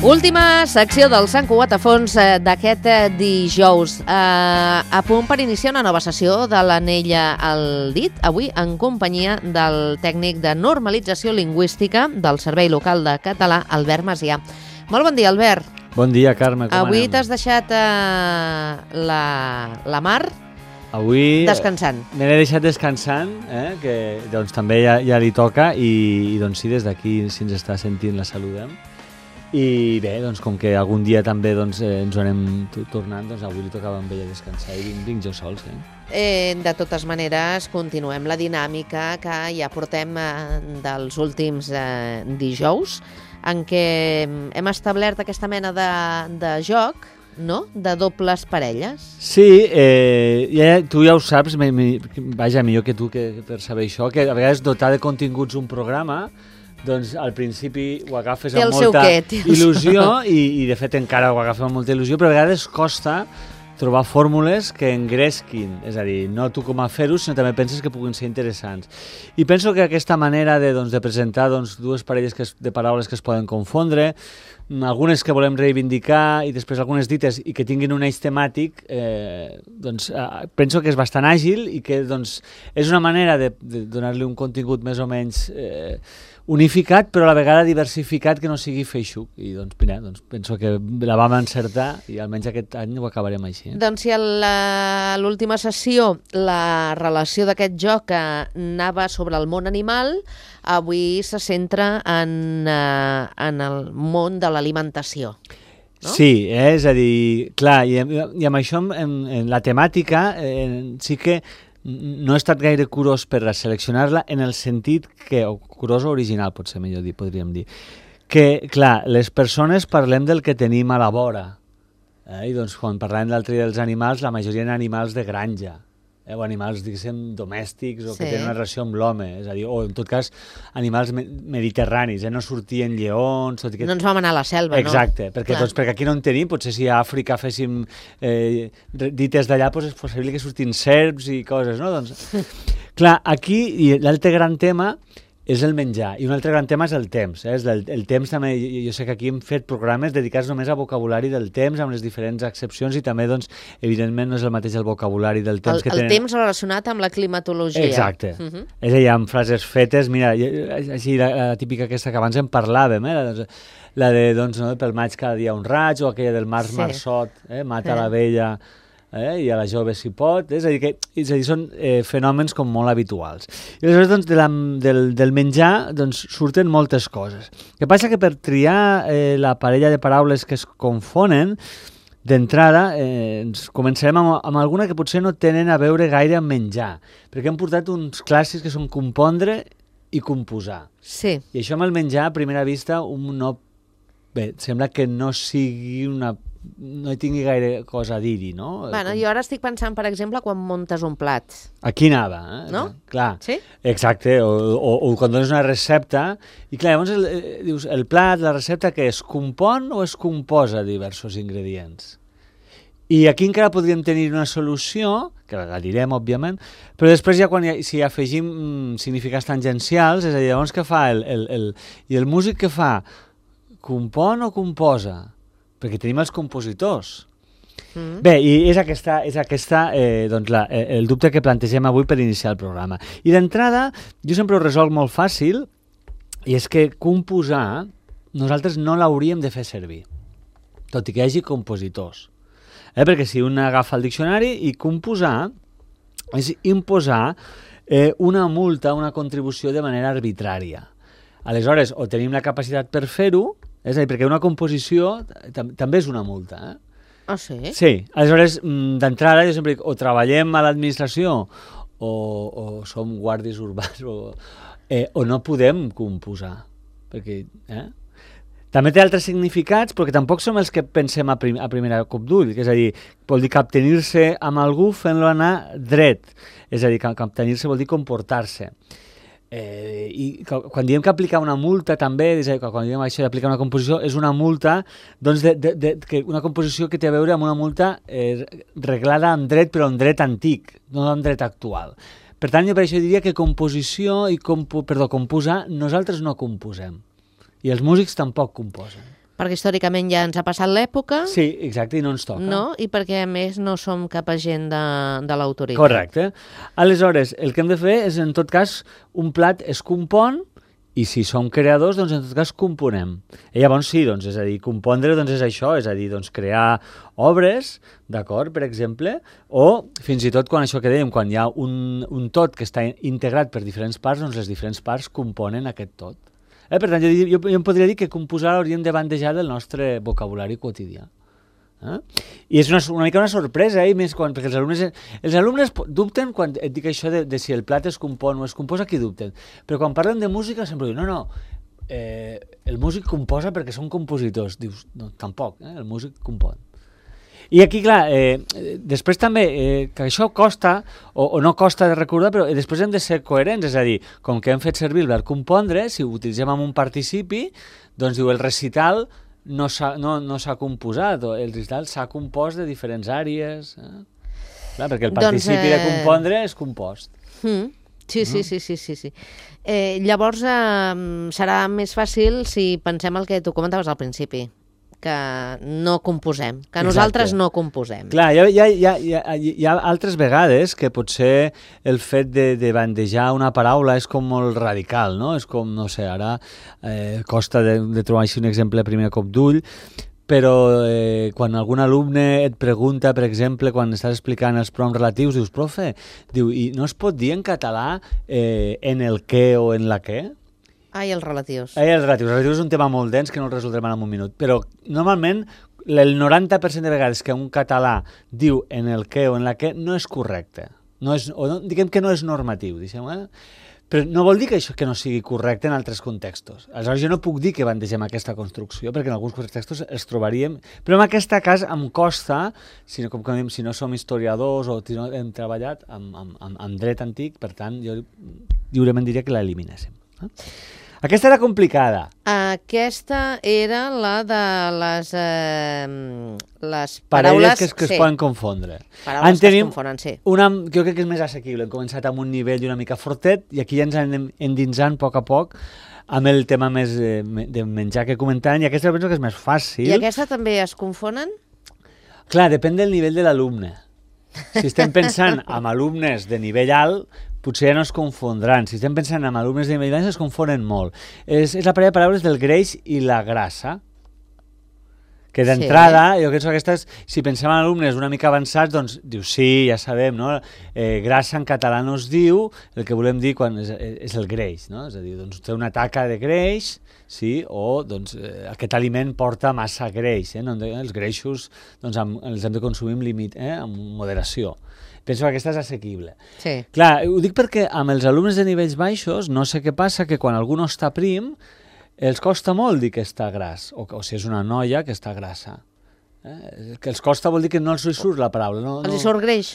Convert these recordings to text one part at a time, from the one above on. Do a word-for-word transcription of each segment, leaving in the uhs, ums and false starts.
Última secció del Sant Cugat a fons d'aquest dijous. Eh, a punt per iniciar una nova sessió de l'Anella al dit, avui en companyia del tècnic de normalització lingüística del Servei Local de Català, Albert Macià. Molt bon dia, Albert. Bon dia, Carme. Com avui anem? T'has deixat eh, la, la Mar avui descansant. Me l'he deixat descansant, eh, que doncs, també ja, ja li toca i, i doncs, sí, des d'aquí, si ens està sentint, la saludem. I bé, doncs, com que algun dia també doncs, eh, ens ho anem tornant, doncs avui li tocava amb ella descansar i vinc, vinc jo sols. Eh? Eh, de totes maneres, continuem la dinàmica que ja portem eh, dels últims eh, dijous, en què hem establert aquesta mena de, de joc, no?, de dobles parelles. Sí, eh, ja, tu ja ho saps, me, me, vaja, millor que tu que, per saber això, que a vegades dotar de continguts un programa, doncs al principi ho agafes amb molta il·lusió i, i de fet encara ho agafem amb molta il·lusió, però a vegades costa trobar fórmules que engresquin, és a dir, no tu com a fer-ho, sinó també penses que puguin ser interessants. I penso que aquesta manera de, doncs, de presentar doncs, dues parelles que es, de paraules que es poden confondre, algunes que volem reivindicar i després algunes dites i que tinguin un eix temàtic, eh, doncs, eh, penso que és bastant àgil i que doncs, és una manera de, de donar-li un contingut més o menys eh, unificat, però a la vegada diversificat, que no sigui feixuc. I doncs, mira, doncs penso que la vam encertar i almenys aquest any ho acabarem així. Eh? Doncs si a l'última sessió la relació d'aquest joc anava sobre el món animal, avui se centra en, eh, en el món de l'alimentació. No? Sí, eh? És a dir, clar, i, i amb això en, en la temàtica eh, sí que no he estat gaire curós per seleccionar-la en el sentit que, o curós o original potser millor dir, podríem dir, que, clar, les persones parlem del que tenim a la vora, eh? I doncs quan parlem d'altre dels animals, la majoria eren animals de granja, eh? O animals, diguéssim, domèstics o sí, que tenen una relació amb l'home, és a dir, o en tot cas animals me mediterranis, eh? No sortien lleons... Tot i que... No ens vam anar a la selva, exacte, no? perquè, doncs, perquè aquí no en tenim, potser si a Àfrica féssim eh, dites d'allà, doncs és possible que surtin serps i coses, no? Doncs, clar, aquí l'altre gran tema és el menjar, i un altre gran tema és el temps. Eh? El, el temps també, jo, jo sé que aquí hem fet programes dedicats només a vocabulari del temps, amb les diferents accepcions, i també, doncs, evidentment, no és el mateix el vocabulari del temps el, que el tenen... El temps relacionat amb la climatologia. Exacte. Uh -huh. És a dir, amb frases fetes, mira, així la, la típica aquesta que abans en parlàvem, eh? la, la de, doncs, no, pel maig cada dia un raig, o aquella del març sí, marçot, eh? mata sí, la vella... Eh? I a la jove si pot, és a dir, que, és a dir són eh, fenòmens com molt habituals. I aleshores doncs, de la, del, del menjar doncs, surten moltes coses. El que passa que per triar eh, la parella de paraules que es confonen, d'entrada eh, ens començarem amb, amb alguna que potser no tenen a veure gaire amb menjar, perquè hem portat uns clàssics que són compondre i composar. Sí. I això amb el menjar, a primera vista, un no... Bé, sembla que no sigui una... no hi tingui gaire cosa a dir-hi, no? Bueno, Com... jo ara estic pensant, per exemple, quan muntes un plat. Aquí anava, eh? No? Clar. Sí? Exacte, o, o, o quan dones una recepta, i clar, llavors el, eh, dius, el plat, la recepta, que es compon o es composa diversos ingredients? I aquí encara podríem tenir una solució, que la direm, òbviament, però després ja quan hi, si afegim mm, significats tangencials, és a dir, llavors què fa? El, el, el, I el músic què fa? Compon o composa? Perquè tenim els compositors. Mm. Bé, i és aquesta, és aquesta eh, doncs la, el dubte que plantegem avui per iniciar el programa. I d'entrada, jo sempre ho resolc molt fàcil, i és que composar nosaltres no l'hauríem de fer servir, tot i que hi hagi compositors. Eh, perquè si un agafa el diccionari, i composar és imposar eh, una multa, una contribució de manera arbitrària. Aleshores, o tenim la capacitat per fer-ho, és a dir, perquè una composició tam també és una multa. Eh? Ah, sí? Sí. Aleshores, d'entrada, jo sempre dic, o treballem a l'administració o, o som guàrdies urbans o, eh, o no podem composar. Perquè, eh? També té altres significats, però que tampoc som els que pensem a, prim a primera cop d'ull, que és a dir, vol dir captenir-se amb algú fent-lo anar dret. És a dir, captenir-se vol dir comportar-se. Eh, i quan diem que aplicar una multa també, és a dir, quan diem això d'aplicar una composició, és una multa, doncs de, de, de, que una composició que té a veure amb una multa eh, reglada amb dret, però amb dret antic, no amb dret actual. Per tant, jo per això diria que composició i compo, perdó, composar, nosaltres no composem. I els músics tampoc composen. Perquè històricament ja ens ha passat l'època. Sí, exacte, i no ens toca. No? I perquè, a més, no som cap agent de, de l'autoritat. Correcte. Aleshores, el que hem de fer és, en tot cas, un plat es compon, i si som creadors, doncs en tot cas componem. I llavors sí, doncs, és a dir, compondre doncs, és això, és a dir, doncs, crear obres, d'acord, per exemple, o fins i tot quan això que dèiem, quan hi ha un, un tot que està integrat per diferents parts, doncs les diferents parts componen aquest tot. Eh, per tant, jo, jo, jo em podria dir que composar hauríem de bandejar del nostre vocabulari quotidià. Eh? I és una, una mica una sorpresa, eh? Més quan, perquè els alumnes, els alumnes dubten quan et dic això de, de si el plat es compon o es composa, aquí dubten. Però quan parlen de música sempre diuen, no, no, eh, el músic composa perquè són compositors. Dius, no, tampoc, eh? El músic compon. I aquí, clar, eh, després també, eh, que això costa, o, o no costa de recordar, però després hem de ser coherents, és a dir, com que hem fet servir el verb compondre, si ho utilitzem amb un participi, doncs diu, el recital no s'ha no, no composat, o el recital s'ha compost de diferents àrees. Eh? Clar, perquè el participi doncs, eh... de compondre és compost. Mm. Sí, sí, sí, sí, sí, sí. Eh, llavors eh, serà més fàcil si pensem el que tu comentaves al principi, que no composem, que Exacte. Nosaltres no composem. Clar, hi ha, hi, ha, hi, ha, hi ha altres vegades que potser el fet de, de bandejar una paraula és com molt radical, no? És com, no sé, ara eh, costa de, de trobar així un exemple a primer cop d'ull, però eh, quan algun alumne et pregunta, per exemple, quan estàs explicant els pronoms relatius, dius, profe, diu, i no es pot dir en català eh, en el què o en la què? Ai, els relatius. Ai, els relatius. Els relatius és un tema molt dens que no el resoldrem en un minut. Però normalment el noranta per cent de vegades que un català diu en el què o en la què no és correcte. No és, o no, diguem que no és normatiu. Diguem, eh? Però no vol dir que això que no sigui correcte en altres contextos. Aleshores jo no puc dir que bandegem aquesta construcció perquè en alguns contextos els trobaríem. Però en aquest cas em costa, si no, com que diem, si no som historiadors o si no hem treballat amb, amb, amb, amb dret antic, per tant jo lliurement diria que l'eliminéssim. Eh? Aquesta era complicada. Aquesta era la de les, eh, les paraules... Paraules que, es, que sí. es poden confondre. Paraules en que es confonen, sí. Una, jo crec que és més assequible. Hem començat amb un nivell una mica fortet i aquí ja ens anem endinsant a poc a poc amb el tema més eh, de menjar que comentant, i aquesta penso que és més fàcil. I aquesta també es confonen? Clar, depèn del nivell de l'alumne. Si estem pensant en alumnes de nivell alt, potser ja no es confondran. Si estem pensant en alumnes de nivell baix, es confonen molt. És, és la parella de paraules del greix i la grassa. Que d'entrada, sí. jo penso que aquestes, si pensem en alumnes una mica avançats, doncs diu sí, ja sabem, no? Eh, grassa en català no es diu, el que volem dir quan és, és el greix, no? És a dir, doncs té una taca de greix, sí, o doncs eh, aquest aliment porta massa greix, eh? No, els greixos doncs, amb, els hem de consumir amb límit, eh? Amb moderació. Penso que aquesta és assequible. Sí. Clar, ho dic perquè amb els alumnes de nivells baixos no sé què passa, que quan algú no està prim els costa molt dir que està gras, o, o si és una noia que està grassa. Eh? Que els costa vol dir que no els hi surt la paraula. No, els no... hi surt greix?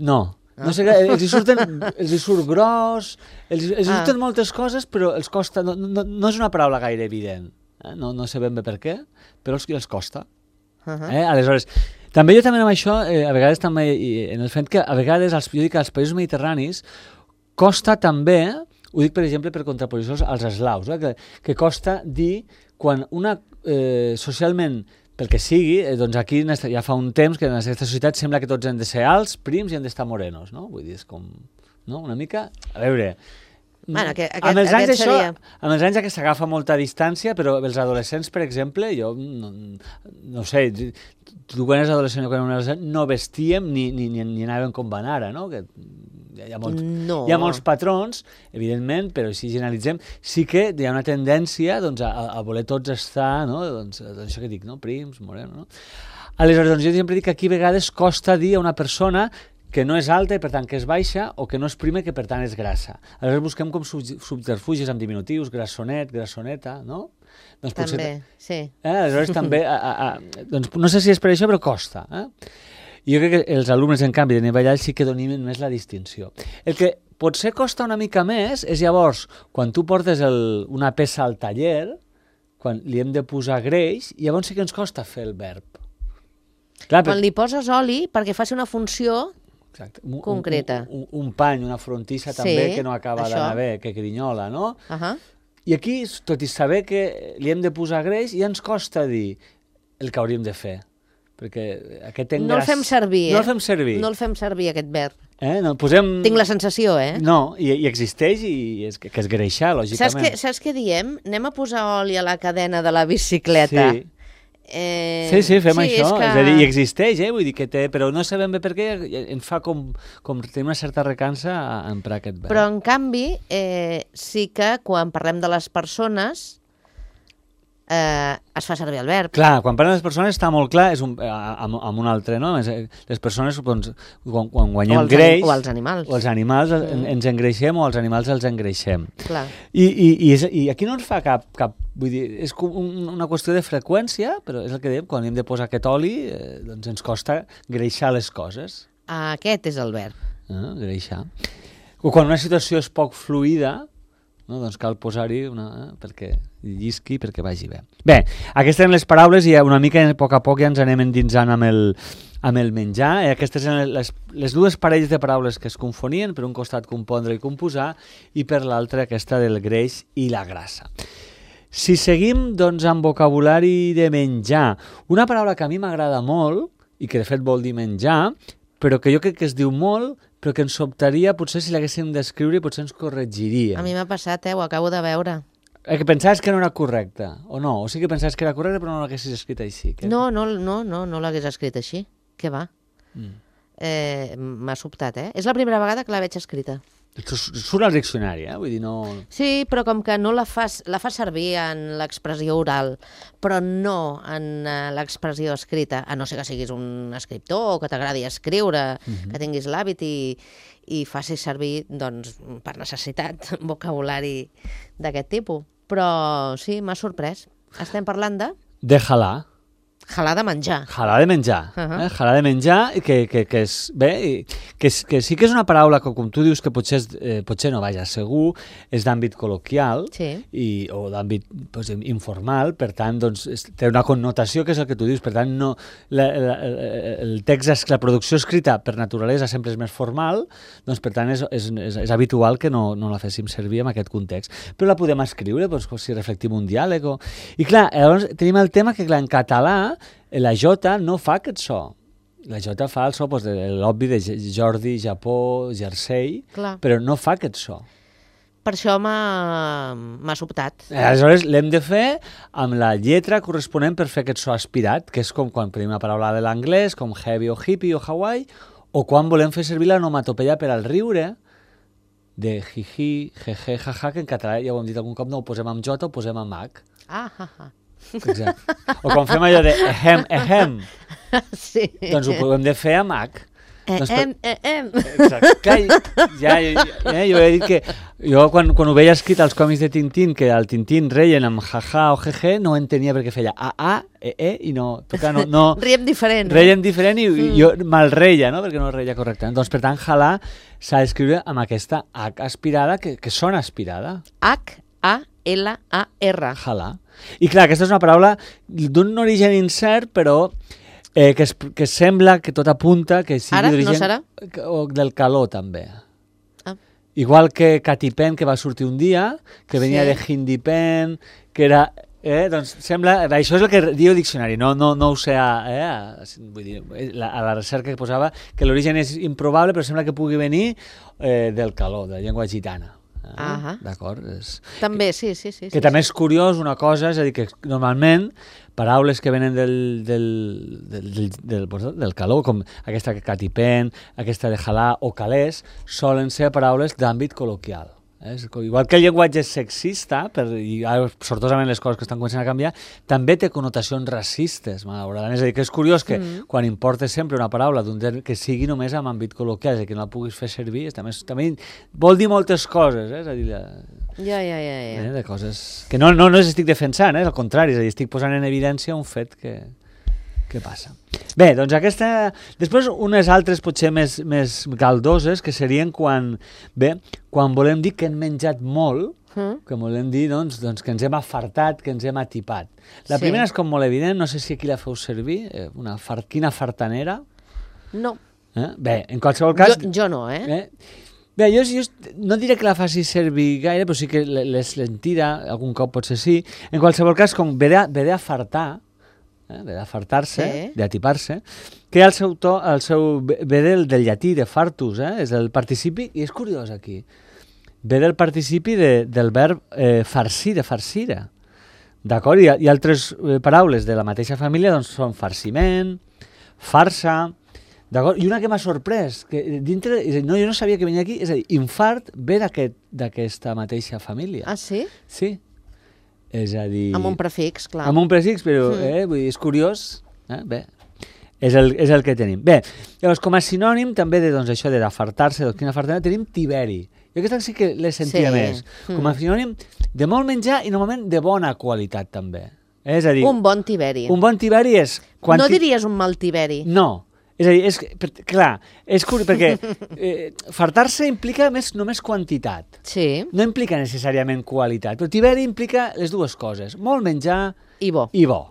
No. Ah. No sé, els hi surten, els hi surt gros, els, els hi surten ah. moltes coses, però els costa, no, no, no és una paraula gaire evident. Eh? No, no sé ben bé per què, però els, els costa. Uh -huh. eh? Aleshores, també jo també amb això, eh, a vegades també, en el fet que a vegades, als, jo dic que als països mediterranis, costa també, ho dic per exemple per contraposició als eslaus, eh, que, que costa dir quan una, eh, socialment, pel que sigui, eh, doncs aquí ja fa un temps que en aquesta societat sembla que tots hem de ser alts, prims i hem d'estar morenos, no? Vull dir, és com, no? Una mica, a veure... Bueno, aquest, amb, els anys això, seria... amb els anys ja que s'agafa molta distància, però els adolescents, per exemple, jo no, no sé, tu quan eres adolescent o quan eres adolescent no vestíem ni, ni, ni, ni anàvem com van ara, no? Que hi ha, molts, no. hi ha molts patrons, evidentment, però si generalitzem, sí que hi ha una tendència doncs, a, a voler tots estar, no? Doncs, doncs això que dic, no? Prims, morenos, no? Aleshores, doncs, jo sempre dic que aquí a vegades costa dir a una persona que no és alta i per tant que és baixa, o que no és prima i que per tant és grassa. Aleshores busquem com subterfugis amb diminutius, grassonet, grassoneta, no? Doncs també, potser, sí. Eh? Aleshores també, a, a, a, doncs no sé si és per això, però costa. Eh? I jo crec que els alumnes, en canvi, de nivell alt sí que dominen més la distinció. El que potser costa una mica més és llavors, quan tu portes el, una peça al taller, quan li hem de posar greix, llavors sí que ens costa fer el verb. Clar, quan li poses oli perquè faci una funció... Exacte. Un, concreta. Un, un, un pany, una frontissa també, sí, que no acaba d'anar bé, que grinyola, no? Uh -huh. I aquí, tot i saber que li hem de posar greix, ja ens costa dir el que hauríem de fer. Perquè aquest engràs... No el fem servir, eh? No el fem servir. No el fem servir, aquest verb. Eh? No, posem... Tinc la sensació, eh? No, i, i existeix i és, que, que és greixar, lògicament. Saps què, saps què diem? Anem a posar oli a la cadena de la bicicleta. Sí. Eh... Sí, sí, fem sí, això. És, és, que... és a dir, i existeix, eh? Vull dir que té... Però no sabem bé per què ens fa com, com tenir una certa recança a emprar aquest verb. Però, en canvi, eh, sí que quan parlem de les persones... Eh, es fa servir el verb. Clar, quan parlen les persones està molt clar, és un, amb, amb un altre, no? Les persones, doncs, quan, quan guanyem o els, greix... O els animals. O els animals mm. ens engreixem o els animals els engreixem. Clar. I, i, i, és, I aquí no ens fa cap... cap vull dir, és un, una qüestió de freqüència, però és el que dèiem, quan hem de posar aquest oli, eh, doncs ens costa greixar les coses. Aquest és el verb. Eh, greixar. O quan una situació és poc fluida, no? Doncs cal posar-hi una... Eh, perquè llisqui, perquè vagi bé. Bé, aquestes eren les paraules i una mica a poc a poc ja ens anem endinsant amb el, amb el menjar. Eh, aquestes eren les, les dues parelles de paraules que es confonien, per un costat compondre i composar, i per l'altre aquesta del greix i la grassa. Si seguim, doncs, amb vocabulari de menjar, una paraula que a mi m'agrada molt, i que de fet vol dir menjar, però que jo crec que es diu molt, però que ens sobtaria, potser si l'haguéssim d'escriure, potser ens corregiria. A mi m'ha passat, eh? Ho acabo de veure. Eh, que pensaves que no era correcte, o no? O sigui que pensaves que era correcte, però no l'haguessis escrit així. Que... No, no, no, no, no l'hagués escrit així. Què va? Mm. Eh, m'ha sobtat, eh? És la primera vegada que la veig escrita. Surt al diccionari, eh? Vull dir, no... Sí, però com que no la fas, la fas servir en l'expressió oral, però no en uh, l'expressió escrita, a no ser que siguis un escriptor o que t'agradi escriure, mm-hmm. que tinguis l'hàbit i, i facis servir, doncs, per necessitat, vocabulari d'aquest tipus. Però sí, m'ha sorprès. Estem parlant de... De halà. Halà de menjar. Halà de menjar. Uh-huh. eh? Halà de menjar, que, que, que, és, bé, que, és, que sí que és una paraula que, com tu dius, que potser, és, eh, potser no, vaja, segur, és d'àmbit col·loquial sí. i, o d'àmbit pues, informal, per tant, doncs, és, té una connotació que és el que tu dius, per tant, no, la, la, el text, la producció escrita per naturalesa sempre és més formal, doncs, per tant, és, és, és, és habitual que no, no la féssim servir en aquest context. Però la podem escriure, doncs, si reflectim un diàleg. O... I clar, llavors tenim el tema que, clar, en català, la jota no fa aquest so. La jota fa el so doncs, de l'obvi de Jordi, Japó, Jersey, clar. Però no fa aquest so. Per això m'ha sobtat. Aleshores, l'hem de fer amb la lletra corresponent per fer aquest so aspirat, que és com quan tenim una paraula de l'anglès, com heavy o hippie o Hawaii, o quan volem fer servir l'onomatopeia per al riure, de jiji, jeje, jaja, que en català, ja ho hem dit algun cop, no ho posem amb jota, ho posem amb h. Ah, ha, ha. Exacte. O quan fem allò de ehem, ehem, sí. doncs ho podem de fer amb h. Eh, doncs em, eh, em. Exacte. Clar, ja, ja, ja, jo he dit que jo quan, quan ho veia escrit als còmics de Tintín, que el Tintín reien amb jaja o jeje, no ho entenia perquè feia a, a, e, e, i no... Clar, no, no Riem diferent. Reien diferent i, mm. i jo mal reia, no? Perquè no reia correctament. Doncs, per tant, halà s'ha d'escriure amb aquesta h aspirada, que, que sona aspirada. H, A, L, A, R. Halà. I clar, aquesta és una paraula d'un origen incert, però eh, que, es, que sembla que tot apunta que sigui Ara, d'origen... no serà? O del calor, també. Ah. Igual que Catipen, que va sortir un dia, que venia sí. de Hindipen, que era... Eh, doncs sembla... Això és el que diu el diccionari, no, no, no ho sé a, eh, a, vull dir, a la recerca que posava, que l'origen és improbable, però sembla que pugui venir eh, del calor, de la llengua gitana. Ah, d'acord. És... També, sí, sí. sí que sí, també sí. és curiós una cosa, és a dir, que normalment paraules que venen del, del, del, del, del, del calor, com aquesta que catipen, aquesta de halà o calés, solen ser paraules d'àmbit col·loquial. Eh? Igual que el llenguatge és sexista, per, i sortosament les coses que estan començant a canviar, també té connotacions racistes, malauradament. És a dir, que és curiós que mm. quan importes sempre una paraula d'un que sigui només en àmbit col·loquial, és a dir, que no la puguis fer servir, també, també vol dir moltes coses, eh? És a dir, de, ja, ja, ja, ja. Eh? de coses que no, no, no les estic defensant, eh? Al contrari, és a dir, estic posant en evidència un fet que, que passa. Bé, doncs aquesta... Després unes altres potser més, més galdoses, que serien quan, bé, quan volem dir que hem menjat molt, mm. que volem dir doncs, doncs, que ens hem afartat, que ens hem atipat. La sí. primera és com molt evident, no sé si aquí la feu servir, eh, una fart, quina fartanera. No. Eh? Bé, en qualsevol cas... Jo, jo no, eh? eh? Bé, jo, jo no diré que la faci servir gaire, però sí que les tira, algun cop potser sí. En qualsevol cas, com ve de, ve de fartar, eh, ve de fartar-se, sí. d'atipar-se, que el seu to, el seu, ve del, del llatí, de fartus, eh, és el participi, i és curiós aquí, ve del participi de, del verb eh, farcir, de farcira. D'acord? I, i altres eh, paraules de la mateixa família doncs, són farciment, farsa. D'acord? I una que m'ha sorprès, que dintre, no, jo no sabia que venia aquí, és a dir, infart ve d'aquesta mateixa família. Ah, sí? Sí. És a dir... Amb un prefix, clar. Amb un prefix, però mm. eh, vull dir, és curiós. Eh? Bé, és el, és el que tenim. Bé, llavors, com a sinònim també de doncs, això de d'afartar-se, doncs, quina fartana, tenim tiberi. Jo aquesta sí que l'he sentia sí. més. Mm. Com a sinònim de molt menjar i normalment de bona qualitat també. Eh? És a dir... Un bon tiberi. Un bon tiberi és... Quan no diries un mal tiberi. No. És a dir, és, clar, és curiós, perquè eh, fartar-se implica més, només quantitat. Sí. No implica necessàriament qualitat, però tiberi implica les dues coses, molt menjar i bo. I, bo.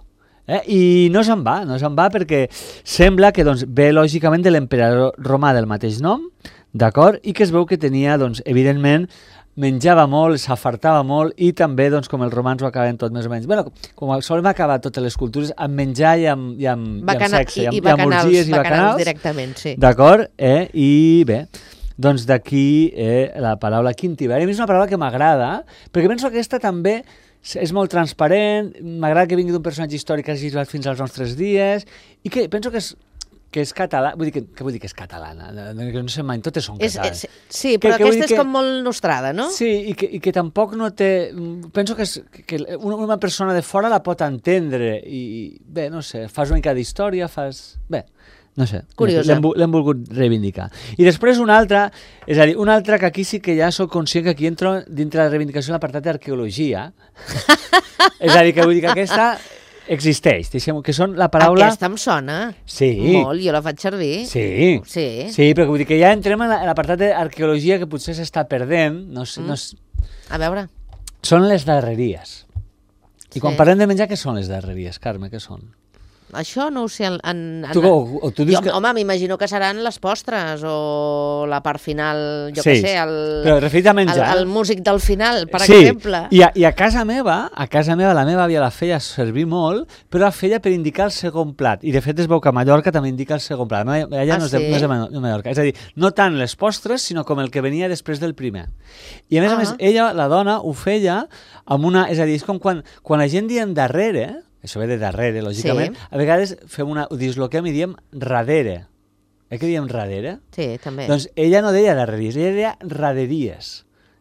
Eh? I no se'n va, no se'n va perquè sembla que doncs, ve lògicament de l'emperador romà del mateix nom, d'acord? I que es veu que tenia, doncs, evidentment, menjava molt, s'afartava molt i també, doncs, com els romans ho acaben tot més o menys. Bueno, com solen acabar totes les cultures amb menjar i amb, i amb, Bacana, i amb sexe, i, i, amb, i bacanals, i amb orgies i bacanals. bacanals directament, sí. D'acord? Eh? I bé, doncs d'aquí eh, la paraula quintiberi. A mi és una paraula que m'agrada, perquè penso que aquesta també és molt transparent, m'agrada que vingui d'un personatge històric que hagi arribat fins als nostres dies i que penso que és que és català, vull dir que, que vull dir que és catalana, que no sé mai, totes són catalanes. És, és, sí, però que, aquesta és que, com molt nostrada, no? Sí, i que, i que tampoc no té... Penso que, és, que una, una persona de fora la pot entendre i, bé, no sé, fas una mica d'història, fas... Bé, no sé, l'hem volgut reivindicar. I després una altra, és a dir, una altra que aquí sí que ja soc conscient que aquí entro dintre la reivindicació de l'apartat d'arqueologia. És a dir, que vull dir que aquesta... existeix, deixem, que són la paraula... Aquesta em sona sí. molt, jo la faig servir. Sí, sí, sí però vull dir que ja entrem en l'apartat d'arqueologia que potser s'està perdent. No sé, mm. no sé. A veure. Són les darreries. I sí. quan parlem de menjar, què són les darreries, Carme, què són? Això no ho sé. En, en, tu, o, o tu dius jo, que... Home, m'imagino que seran les postres o la part final, jo sí, què sé, el, però referit a menjar, el, el músic del final, per sí. exemple. I a, I a casa meva, a casa meva, la meva àvia la feia servir molt, però la feia per indicar el segon plat. I de fet es veu que a Mallorca també indica el segon plat. Ella ah, no, és de, sí? no és de Mallorca. És a dir, no tant les postres, sinó com el que venia després del primer. I a més ah. a més, ella, la dona, ho feia amb una... És a dir, és com quan, quan la gent diem darrere... Això ve de darrere, lògicament. Sí. A vegades fem una, ho disloquem i diem radere. Eh que diem radere? Sí, també. Doncs ella no deia darreries, ella deia raderies.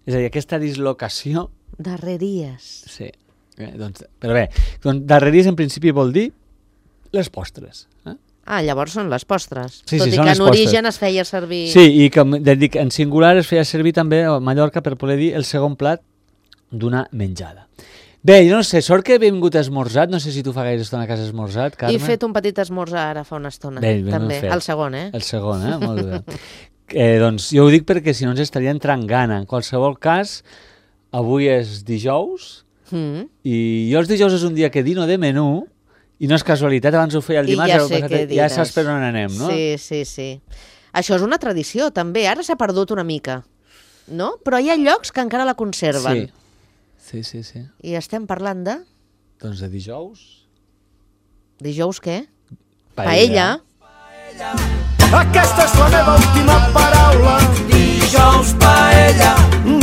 És a dir, aquesta dislocació... Darreries. Sí. Eh, doncs, però bé, doncs, darreries en principi vol dir les postres. Eh? Ah, llavors són les postres. Sí, Tot sí, i que en postres. origen es feia servir... Sí, i que dic, en singular es feia servir també a Mallorca per poder dir el segon plat d'una menjada. Bé, jo no sé, sort que he vingut esmorzat, no sé si tu fa gaire estona a casa esmorzat, Carme. He fet un petit esmorzar ara fa una estona, bé, ben també, el segon, eh? El segon, eh? Molt bé. eh, doncs jo ho dic perquè si no ens estaria entrant gana. En qualsevol cas, avui és dijous, mm. i jo els dijous és un dia que dino de menú, i no és casualitat, abans ho feia el dimarts, ja, sé passat, ja saps per on anem, no? Sí, sí, sí. Això és una tradició, també. Ara s'ha perdut una mica, no? Però hi ha llocs que encara la conserven. Sí. Sí, sí, sí. I estem parlant de... Doncs de dijous. Dijous què? Paella. Paella. Aquesta és la meva última paraula. Dijous paella.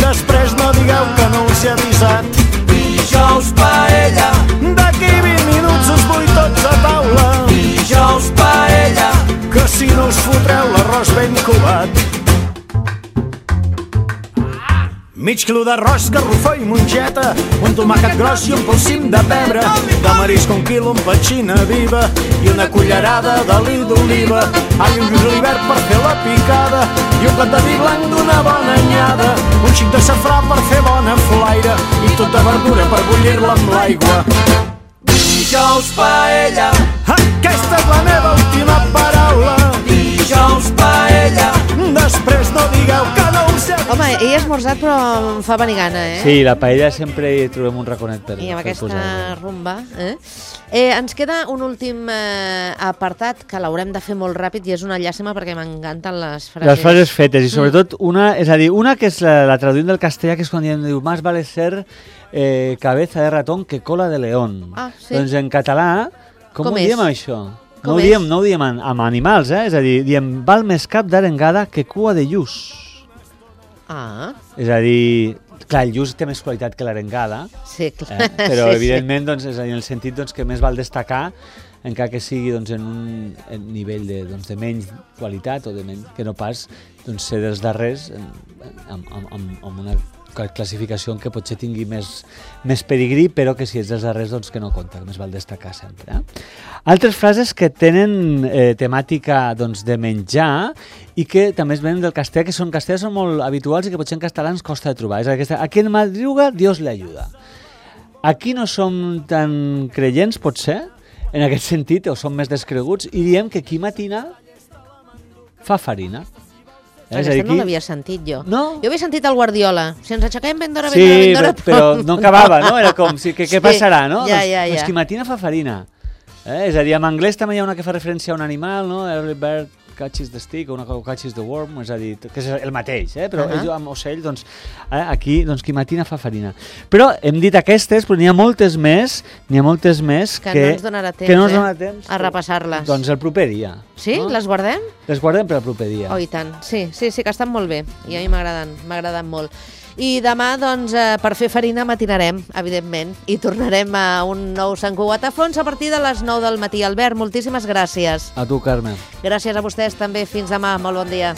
Després no digueu que no us he avisat. Dijous paella. D'aquí vint minuts us vull tots a taula. Dijous paella. Que si no us fotreu l'arròs ben covat. Mig quilo d'arròs, garrofó i mongeta, un tomàquet gros i un polsim de pebre, de marisc un quilo, un petxina viva i una cullerada d'oli d'oliva, all i un julivert per fer la picada i un plat de vi blanc d'una bona anyada, un xic de safrà per fer bona flaire i tota verdura per bullir-la amb l'aigua. Dijous paella. Aquesta és la meva última paraula. Dijous paella. Després no digueu que no us he avisat. Home, he he esmorzat però em fa venir gana, eh? Sí, la paella sempre hi trobem un raconet per, I amb per aquesta posar-hi. rumba. Eh? Eh, ens queda un últim eh, apartat que l'haurem de fer molt ràpid i és una llàstima perquè m'encanten les frases. Les frases fetes, i sobretot una, és a dir, una que és la, la traduint del castellà, que és quan diem, diu, más vale ser eh, cabeza de ratón que cola de león. Ah, sí? Doncs en català, com, Com ho és? diem això? Com No ho és? diem, no ho diem amb, amb animals, eh? És a dir, diem, val més cap d'arengada que cua de lluç. Ah, És a dir, clar, el lluç té més qualitat que l'arengada, sí, clar. eh? Però sí, evidentment doncs, és a dir, en el sentit doncs, que més val destacar encara que sigui doncs, en un en nivell de, doncs, de menys qualitat o de menys, que no pas doncs, ser dels darrers en, amb, amb, amb, amb una classificació en què potser tingui més, més pedigrí, però que si ets dels darrers doncs, que no compta, que més val destacar sempre. Eh? Altres frases que tenen eh, temàtica doncs, de menjar i que també es venen del castellà, que són castellà són molt habituals i que potser en castellà ens costa de trobar. És aquesta, aquí en madruga Dios le ayuda. Aquí no som tan creients, potser, en aquest sentit, o som més descreguts, i diem que qui matina fa farina. Eh? Aquesta no l'havia sentit jo. No? Jo havia sentit el Guardiola. Si ens aixequem ben d'hora, ben Sí, d'hora, ben d'hora... però, però no acabava, no? Era com, si, que, què Sí, passarà, no? ja, doncs, ja, ja. doncs qui matina fa farina. Eh? És a dir, en anglès també hi ha una que fa referència a un animal, no? Early bird catches the stick, o una que catches the worm, és a dir, que és el mateix, eh? Però Uh-huh. uh-huh. amb ocell, doncs, eh? aquí, doncs, qui matina fa farina. Però hem dit aquestes, però n'hi ha moltes més, n'hi ha moltes més Que que, no ens donarà temps, que no ens eh? donarà temps A repassar-les. Doncs el proper dia. Sí? No? Les guardem? Les guardem per al proper dia. Oh, i tant. Sí, sí, sí, que estan molt bé. I a mi m'agraden, m'agraden molt. I demà, doncs, eh, per fer farina matinarem, evidentment, i tornarem a un nou Sant Cugat a Fons a partir de les nou del matí. Albert, moltíssimes gràcies. A tu, Carme. Gràcies a vostès també. Fins demà. Molt bon dia.